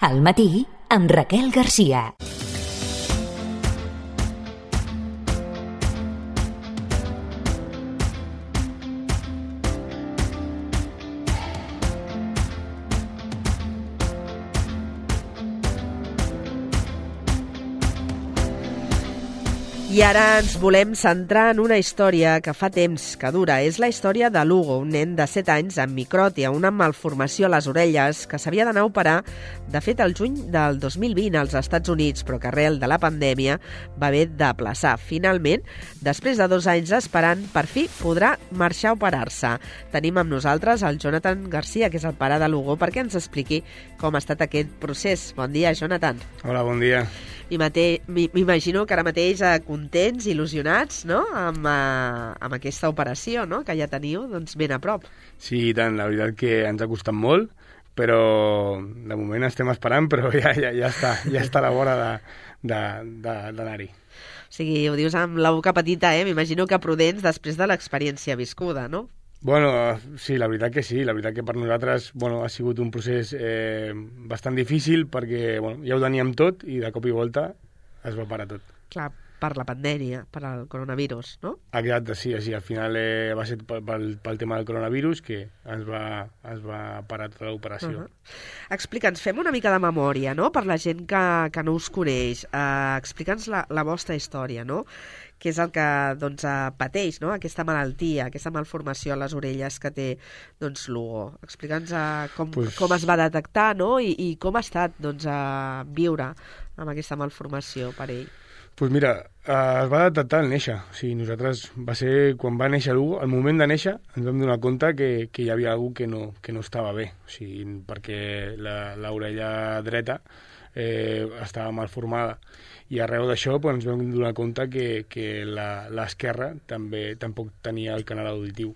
Al matí, amb Raquel Garcia. I ara ens volem centrar en una història que fa temps que dura. És la història de l'Hugo, un nen de 7 anys amb micròtia, una malformació a les orelles que s'havia d'anar a operar, de fet, el juny del 2020 als Estats Units, però que arrel de la pandèmia va haver d'aplaçar. Finalment, després de 2 anys esperant, per fi podrà marxar a operar-se. Tenim amb nosaltres el Jonathan Garcia, que és el pare de l'Hugo, perquè ens expliqui com ha estat aquest procés. Bon dia, Jonathan. Hola, bon dia. M'imagino que ara mateix contents, il·lusionats, no?, amb aquesta operació, no?, que ja teniu doncs, ben a prop. Sí, i tant, la veritat que ens ha costat molt, però de moment estem esperant, però ja està a la vora d'anar-hi. O sigui, ho dius amb la boca petita, m'imagino que prudents després de l'experiència viscuda, no? Bueno, sí, la veritat que sí. La veritat que per nosaltres ha sigut un procés bastant difícil perquè ja ho teníem tot i de cop i volta es va parar tot. Clar, per la pandèmia, per al coronavirus, no? Exacte, sí. Al final va ser pel tema del coronavirus que es va parar tota l'operació. Explica'ns, fem una mica de memòria, no?, per la gent que no us coneix. Explica'ns la vostra història, no?, que és el que pateix, no?, aquesta malaltia, aquesta malformació a les orelles que té l'Hugo. Explica'ns com es va detectar, no?, i com ha estat viure amb aquesta malformació per ell. Doncs mira, es va detectar al néixer. O sigui, nosaltres va ser quan va néixer l'Hugo, al moment de néixer ens vam donar compte que hi havia alguna que no estava bé. O sigui, perquè l'orella dreta estava mal formada. I arreu d'això ens vam donar compte que l'esquerra tampoc tenia el canal auditiu.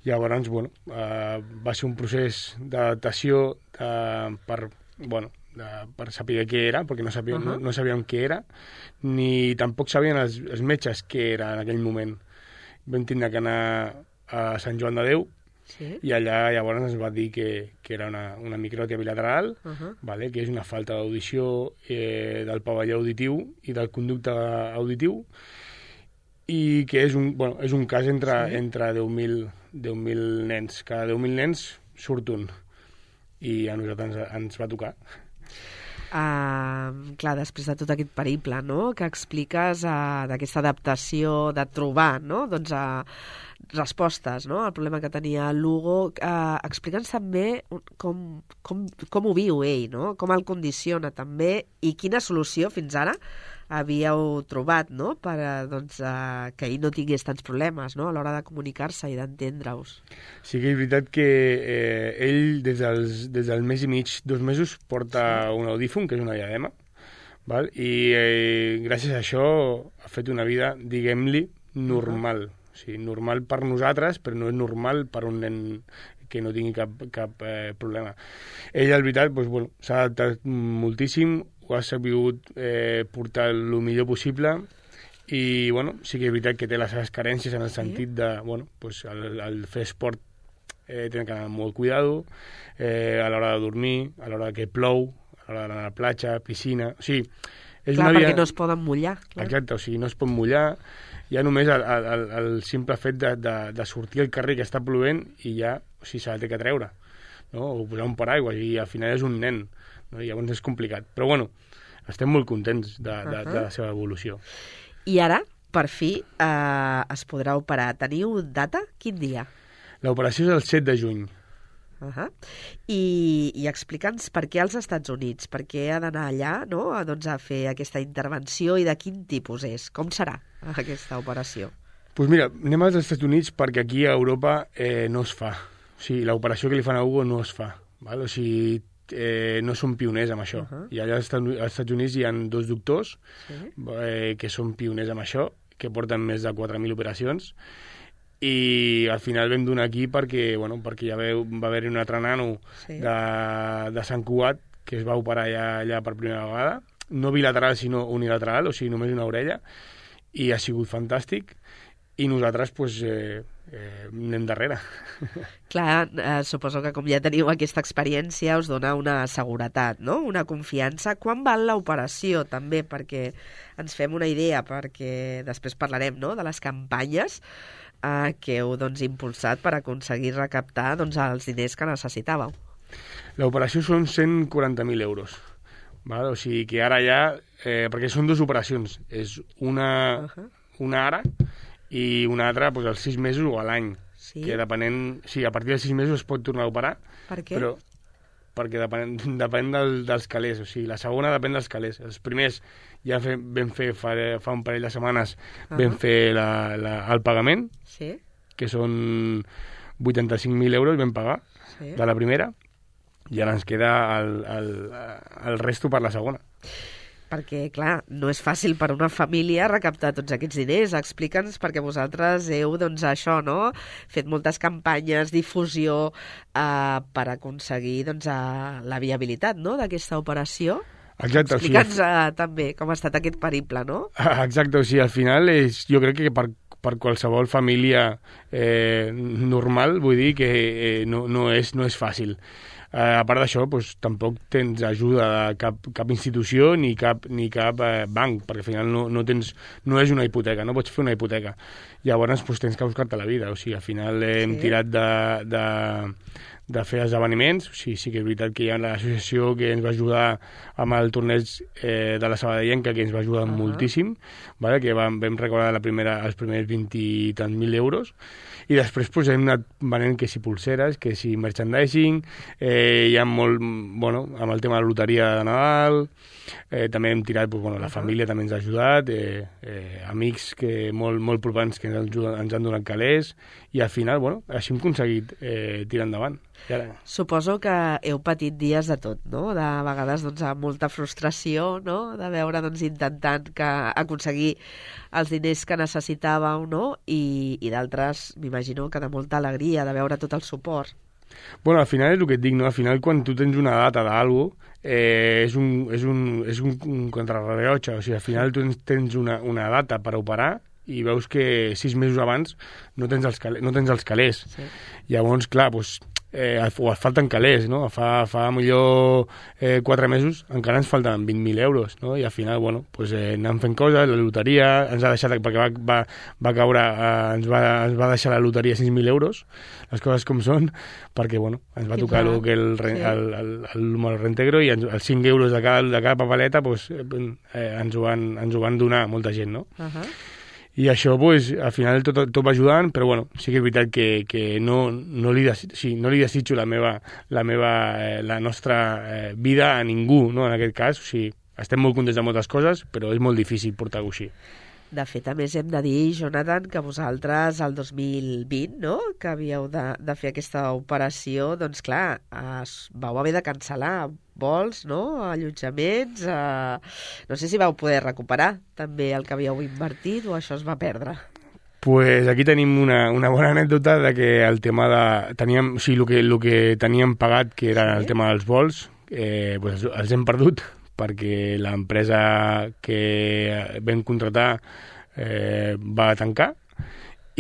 Llavors, va ser un procés d'adaptació per saber què era, perquè no sabíem què era, ni tampoc sabien els metges què era en aquell moment. Vam tindre que anar a Sant Joan de Déu, i allà llavors ens va dir que era una micròtia bilateral, que és una falta d'audició del pavelló auditiu i del conducte auditiu, i que és un cas entre 10.000 nens. Cada 10.000 nens surt un, i a nosaltres ens va tocar. Clar, després de tot aquest periple, no?, que expliques d'aquesta adaptació, de trobar, no?, respostes, no?, al problema que tenia l'Hugo, explica'ns també com ho viu ell, no?, com el condiciona també, i quina solució fins ara havíeu trobat, no?, per que ell no tingués tants problemes, no?, a l'hora de comunicar-se i d'entendre-us. Sí que és veritat que ell des del mes i mig, 2 mesos, porta un audífon, que és una diadema, i gràcies a això ha fet una vida, diguem-li, normal. O sigui, normal per nosaltres, però no és normal per un nen que no tingui cap problema. Ell, la veritat, s'ha adaptat moltíssim, ho ha sabut portar el millor possible, i sí que és veritat que té les seves carències en el sentit de, al fer esport té que anar amb molt cuidado, a l'hora de dormir, a l'hora que plou, a l'hora d'anar a la platja, piscina. O sigui, és clar, una vida... perquè no es poden mullar. Clar. Exacte, o sigui, no es pot mullar. Ja només el simple fet de sortir al carrer que està plovent i ja se la té que treure, no? O posar un paraigua, i al final és un nen, no? I llavors és complicat. Però estem molt contents de la seva evolució. I ara, per fi, es podrà operar. Teniu data? Quin dia? L'operació és el 7 de juny. I explica'ns per què als Estats Units, per què ha d'anar allà, no?, a fer aquesta intervenció, i de quin tipus és, com serà aquesta operació? Doncs mira, anem als Estats Units perquè aquí a Europa no es fa. O sigui, l'operació que li fan a Hugo no es fa. O sigui, no són pioners amb això. I allà als Estats Units hi ha 2 doctors que són pioners amb això, que porten més de 4.000 operacions, i al final vam donar aquí perquè ja va haver-hi un altre nano de Sant Cugat que es va operar allà per primera vegada, no bilateral sinó unilateral, o sigui només una orella, i ha sigut fantàstic, i nosaltres anem darrere. Clar, suposo que com ja teniu aquesta experiència us dona una seguretat, no? Una confiança. Quan val l'operació, també, perquè ens fem una idea, perquè després parlarem, no?, de les campanyes que heu impulsat per aconseguir recaptar els diners que necessitàveu. L'operació són 140.000 euros. Val? O sigui que ara ja... perquè són dues operacions. És una ara i una altra als 6 mesos o a l'any. Sí? Que depenent... Sí, a partir dels 6 mesos es pot tornar a operar. Per què? Però perquè depèn dels calés. O sigui, la segona depèn dels calés. Els primers ja vam fer fa un parell de setmanes vam fer el pagament, Sí? que són 85.000 euros vam pagar Sí? de la primera, i ara ens queda el resto per la segona. Perquè, clar, no és fàcil per una família recaptar tots aquests diners. Explica'ns, perquè vosaltres heu, fet moltes campanyes, difusió, per aconseguir, la viabilitat, no?, d'aquesta operació. Exacte. Explica'ns també com ha estat aquest periple, no? Exacte, o sigui, al final jo crec que per qualsevol família normal, vull dir que no és fàcil. A part d'això, tampoc tens ajuda de cap institució ni cap banc, perquè al final no és una hipoteca, no pots fer una hipoteca. Llavors tens que buscar-te la vida. O sigui, al final hem tirat de fer esdeveniments. O sigui, sí que és veritat que hi ha l'associació que ens va ajudar amb el torneig de la Sabadellenca, que ens va ajudar moltíssim, vale? Que vam recordar els primers 20 i tants mil euros, i després hem anat venent que si pulseres, que si merchandising, hi ha molt, amb el tema de la loteria de Nadal, també hem tirat, la família també ens ha ajudat, amics molt propers que ens han donat calés, i al final, així hem aconseguit tirar endavant. Suposo que heu patit dies de tot, no? De vegades amb molta frustració, no?, de veure intentant aconseguir els diners que necessitàveu, no?, i d'altres, m'imagino que de molta alegria, de veure tot el suport. Al final és el que et dic, no? Al final quan tu tens una data d'algú és un contrarrellotge, o sigui, al final tu tens una data per operar i veus que 6 mesos abans no tens els calés. Sí. Llavors, clar, et falten calés, no? Fa millor 4 mesos encara ens falten 20.000 euros, no? I al final, anem fent coses, la loteria ens ha deixat, perquè va caure, ens va deixar la loteria 6.000 euros, les coses com són, perquè, ens va tocar el número reintegro, i els 5 euros de cada papeleta ens ho van donar molta gent, no? I això, al final, tot va ajudant, però, sí que és veritat que no li desitjo la nostra vida a ningú, no?, en aquest cas. O sigui, estem molt contents de moltes coses, però és molt difícil portar-ho així. De fet, a més, hem de dir, Jonathan, que vosaltres, el 2020, no?, que havíeu de fer aquesta operació, clar, vau haver de cancel·lar vols, no?, allotjaments... No sé si vau poder recuperar també el que havíeu invertit o això es va perdre. Aquí tenim una bona anècdota de que el tema teníem, o sigui, el que teníem pagat, que era el tema dels vols, els hem perdut, perquè l'empresa que vam contratar va tancar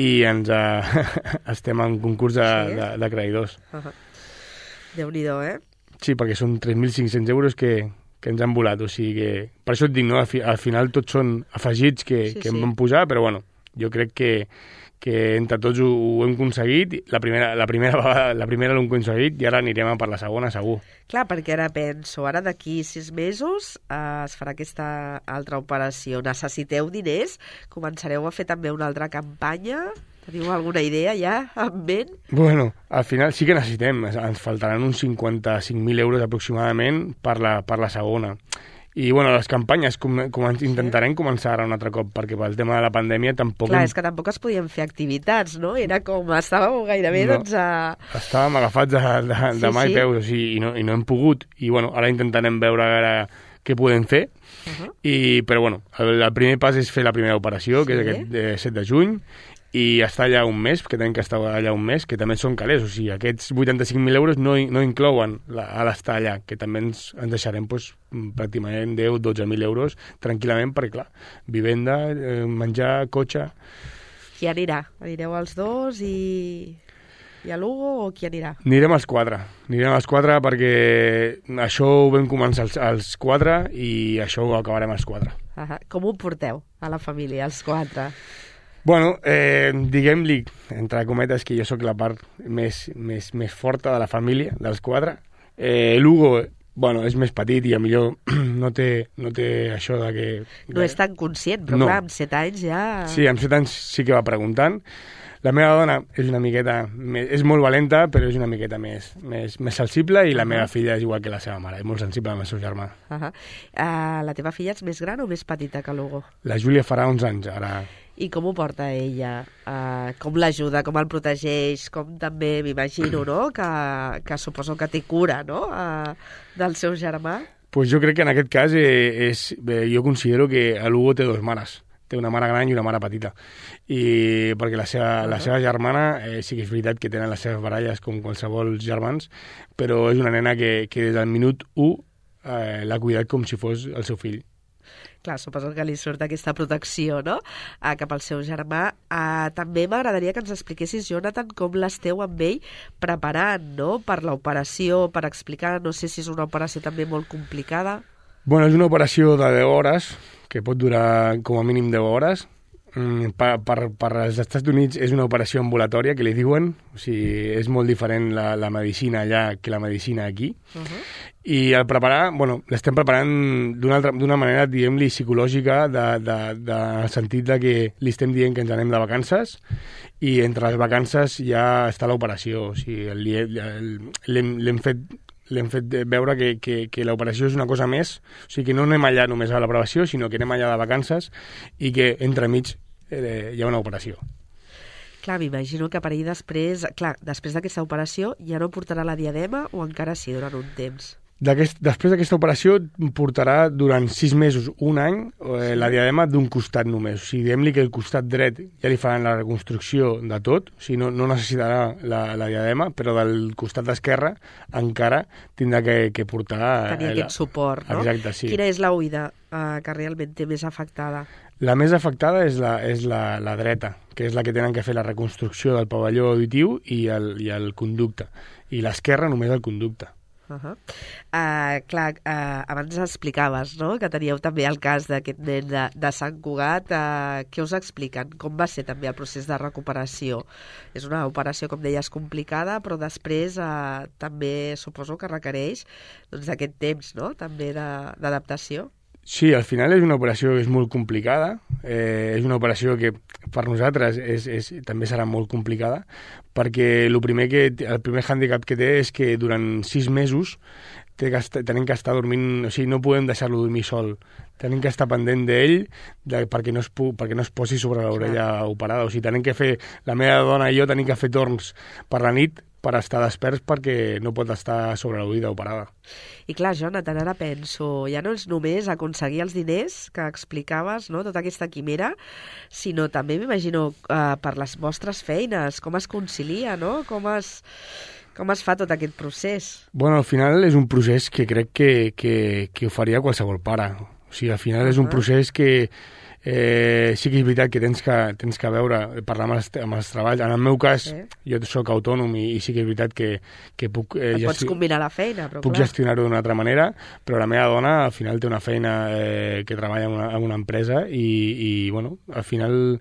i estem en concurs de creditors. Déu-n'hi-do, Sí, perquè són 3.500 euros que ens han volat, o sigui que... Per això et dic, no? Al final tots són afegits que em van posar, però jo crec que entre tots ho hem aconseguit. La primera l'hem aconseguit i ara anirem per la segona, segur. Clar, perquè ara penso, ara d'aquí 6 mesos es farà aquesta altra operació. Necessiteu diners? Començareu a fer també una altra campanya? Teniu alguna idea ja en ment? Al final sí que necessitem. Ens faltaran uns 55.000 euros aproximadament per la segona. I, les campanyes intentarem començar ara un altre cop, perquè pel tema de la pandèmia tampoc... Clar, és que tampoc es podien fer activitats, no? Era com, estàveu gairebé, Estàvem agafats de mà i peus, o sigui, i no hem pogut. I, ara intentarem veure què podem fer. Però, el primer pas és fer la primera operació, que és aquest 7 de juny, i estar allà un mes, que tenim que estar allà un mes, que també són calés, o sigui, aquests 85.000 euros no inclouen a l'estar allà, que també ens deixarem pràcticament 10-12.000 euros tranquil·lament, perquè clar, vivenda, menjar, cotxe... Qui anirà? Anireu els dos i a Lugo o qui anirà? Anirem els quatre perquè això ho vam començar els quatre i això ho acabarem els quatre. Com ho porteu a la família, els quatre? Bueno, diguem-li, entre cometes, que jo sóc la part més forta de la família, dels quatre. Lugo, bueno, és més petit i a millor no té això de que... No és tan conscient, però clar, amb 7 anys ja... Sí, amb 7 anys sí que va preguntant. La meva dona és una miqueta... És molt valenta, però és una miqueta més sensible i la meva filla és igual que la seva mare, és molt sensible amb el seu germà. La teva filla és més gran o més petita que Lugo? La Júlia farà 11 anys, ara... I com ho porta ella? Com l'ajuda, com el protegeix, com també m'imagino, no?, que suposo que té cura, no?, del seu germà. Pues jo crec que en aquest cas jo considero que l'Hugo té 2 mares. Té una mare gran i una mare petita. I perquè la seva germana sí que és veritat que tenen les seves baralles com qualsevol germans, però és una nena que des del minut 1 l'ha cuidat com si fos el seu fill. Clar, suposo que li surt aquesta protecció, no?, cap al seu germà. També m'agradaria que ens expliquessis, Jonathan, com l'esteu amb ell preparant, no?, per l'operació, per explicar, no sé si és una operació també molt complicada. Bueno, és una operació de 10 hores, que pot durar com a mínim 10 hores. Per als Estats Units és una operació ambulatòria, que li diuen, o sigui, és molt diferent la medicina allà que la medicina aquí. I al preparar, bueno, l'estem preparant d'una manera, diguem-li, psicològica, en el sentit de que li estem dient que ens anem de vacances i entre les vacances ja està l'operació. O sigui, l'hem fet veure que l'operació és una cosa més, o sigui que no anem allà només a la prevenció, sinó que anem allà de vacances i que entremig hi ha una operació. Clar, m'imagino que per ell després d'aquesta operació ja no portarà la diadema o encara sí durant un temps? Després d'aquesta operació portarà durant 6 mesos, un any, la diadema d'un costat només. O sigui, diguem-li que el costat dret ja li faran la reconstrucció de tot, o sigui, no necessitarà la diadema, però del costat esquerre encara tindrà que portar... Tenir aquest suport, no? Exacte, sí. Quina és l'oïda que realment té més afectada? La més afectada és la dreta, que és la que tenen que fer la reconstrucció del pavelló auditiu i el conducte. I l'esquerra només el conducte. Abans explicaves, no?, que teníeu també el cas d'aquest nen de Sant Cugat. Què us expliquen? Com va ser també el procés de recuperació? És una operació, com deies, complicada, però després també suposo que requereix aquest temps, no?, també d'adaptació. Sí, al final és una operació que és molt complicada, és una operació que per nosaltres també serà molt complicada, perquè el primer hàndicap que té és que durant 6 mesos tenim que estar dormint, o sigui, no podem deixar-lo dormir sol, tenim que estar pendent d'ell perquè no es posi sobre l'orella operada, o sigui, tenim que fer, la meva dona i jo tenim que fer torns per la nit per estar desperts perquè no pot estar sobre l'oïda operada. I clar, Jonathan, ara penso, ja no és només aconseguir els diners que explicaves, no?, tota aquesta quimera, sinó també m'imagino per les vostres feines, com es concilia, no?, com es fa tot aquest procés? Bueno, al final és un procés que crec que ho faria qualsevol pare. O sigui, al final és un procés que sí que és veritat que tens que veure, parlar amb els treballs. En el meu cas, jo sóc autònom i sí que és veritat que puc... pots combinar la feina, però puc gestionar-ho d'una altra manera, però la meva dona al final té una feina que treballa en una empresa i bueno, al final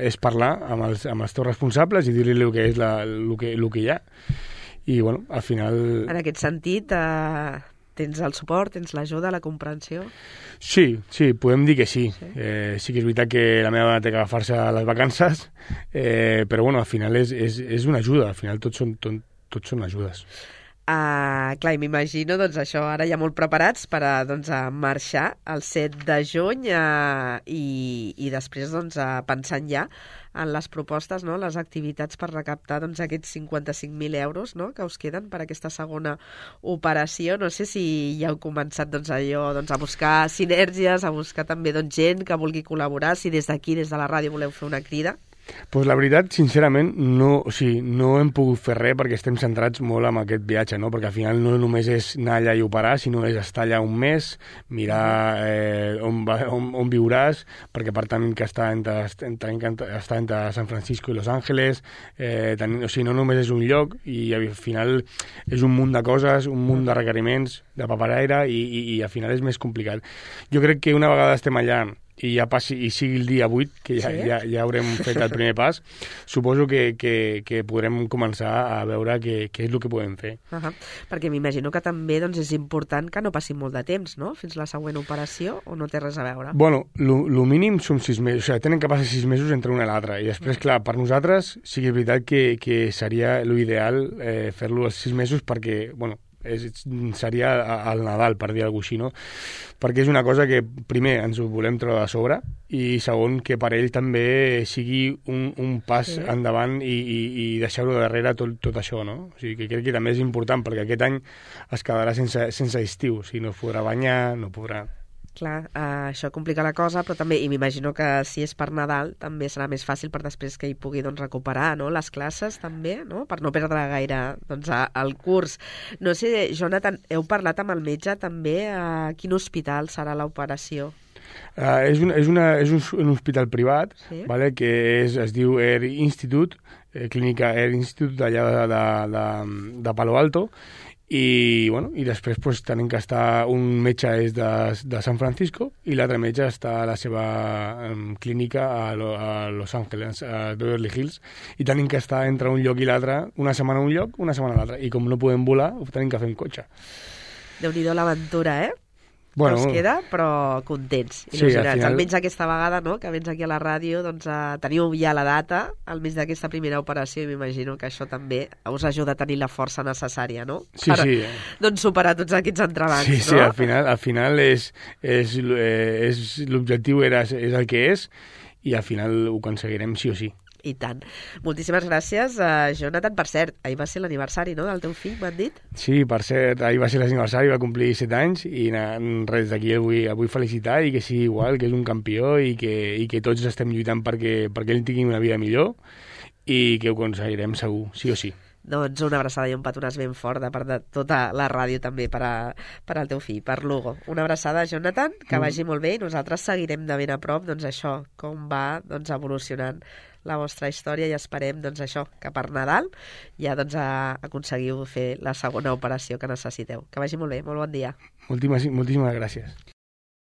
és parlar amb els teus responsables i dir-li el que és el que hi ha. I bueno, al final... En aquest sentit... Tens el suport, tens l'ajuda, la comprensió? Sí, podem dir que sí. Sí que és veritat que la meva dona té que agafar-se a les vacances, però bueno, al final és una ajuda, al final tots són ajudes. Clar, i m'imagino, doncs això, ara ja molt preparats per a marxar el 7 de juny i després pensant ja en les propostes, no?, les activitats per recaptar aquests 55.000 euros, no?, que us queden per aquesta segona operació. No sé si ja heu començat a buscar sinergies, a buscar també gent que vulgui col·laborar, si des d'aquí, des de la ràdio, voleu fer una crida. Pues la veritat, sincerament, no hem pogut fer res perquè estem centrats molt en aquest viatge, no? Perquè al final no només és anar allà i operar, sinó és estar allà un mes, mirar on viuràs, perquè per tant que està entre San Francisco i Los Ángeles, o sigui, no només és un lloc, i al final és un munt de coses, un munt de requeriments, de paperaire, i al final és més complicat. Jo crec que una vegada estem allà i ja passi, i sigui el dia 8, que ja haurem fet el primer pas, suposo que podrem començar a veure què és el que podem fer. Perquè m'imagino que també doncs, és important que no passi molt de temps, no?, fins la següent operació, o no té res a veure? Bueno, lo mínim són 6 mesos, o sigui, tenen que passar 6 mesos entre una i l'altra, i després, clar, per nosaltres sí que és veritat que seria l'ideal fer-lo als 6 mesos perquè, bueno, seria al Nadal, per dir alguna cosa així, no? Perquè és una cosa que, primer, ens ho volem treure de sobre, i segon, que per ell també sigui un pas endavant i deixar-ho darrere tot això, no? O sigui, que crec que també és important, perquè aquest any es quedarà sense estiu, o sigui, no es podrà banyar, no podrà... Clar, això complica la cosa, però també, i m'imagino que si és per Nadal, també serà més fàcil per després que hi pugui doncs, recuperar, no?, les classes també, no?, per no perdre gaire doncs, el curs. No sé, Jonathan, heu parlat amb el metge també a quin hospital serà l'operació? És un hospital privat, vale, que es diu Air Institute, clínica Air Institute d'allà de Palo Alto, i després pues, tenim que estar, un metge és de San Francisco i l'altre metge està a la seva clínica a Los Ángeles, a Beverly Hills, i tenim que estar entre un lloc i l'altre, una setmana a un lloc, una setmana a l'altre, i com no podem volar, ho tenim que fer en cotxe. Déu-n'hi-do l'aventura, Bueno, us queda, però contents, il·lusionats. Sí, almenys aquesta vegada, no?, que vens aquí a la ràdio, doncs teniu ja la data, almenys d'aquesta primera operació, i m'imagino que això també us ajuda a tenir la força necessària, no? Sí, per, sí. Doncs superar tots aquests entrebancs, sí, no? Sí, al final l'objectiu és el que és, i al final ho aconseguirem sí o sí. I tant. Moltíssimes gràcies, Jonathan. Per cert, ahir va ser l'aniversari, no?, del teu fill, m'han dit? Sí, per cert, ahir va ser l'aniversari, va complir 7 anys, i res, d'aquí el vull felicitar, i que sigui igual, que és un campió, i que tots estem lluitant perquè ell tingui una vida millor, i que ho aconseguirem segur, sí o sí. Doncs una abraçada i un petonàs ben fort de part de tota la ràdio també per al teu fill, per Lugo. Una abraçada, Jonathan, que vagi molt bé, i nosaltres seguirem de ben a prop doncs això, com va doncs, evolucionant la vostra història, i esperem doncs, això, que per Nadal ja doncs, aconseguiu fer la segona operació que necessiteu. Que vagi molt bé, molt bon dia. Moltíssimes gràcies.